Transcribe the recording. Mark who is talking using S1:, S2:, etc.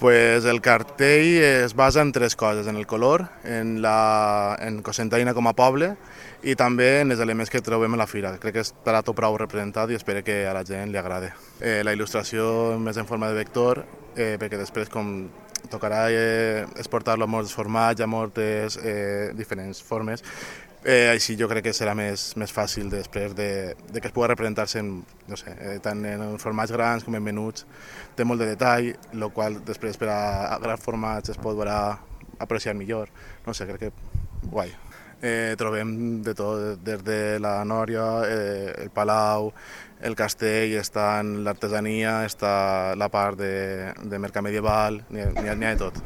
S1: Pues el cartell es basa en tres coses, en el color, en Cocentaina com a poble i també en els elements que trobem a la fira. Crec que estarà tot prou representat i espero que a la gent li agrade. La il·lustració més en forma de vector, perquè després com tocarà exportar-lo a molts formats, a moltes diferents formes, així jo crec que serà més fàcil després de que es pugui representar-se en, no sé, tant en formats grans com en menuts. Té molt de detall, el qual després per a grans formats es podrà apreciar millor. No sé, crec que guai. Trobem de tot, des de la Nòria, el Palau, el castell, està en l'artesania, està la part de mercat medieval, n'hi ha de tot.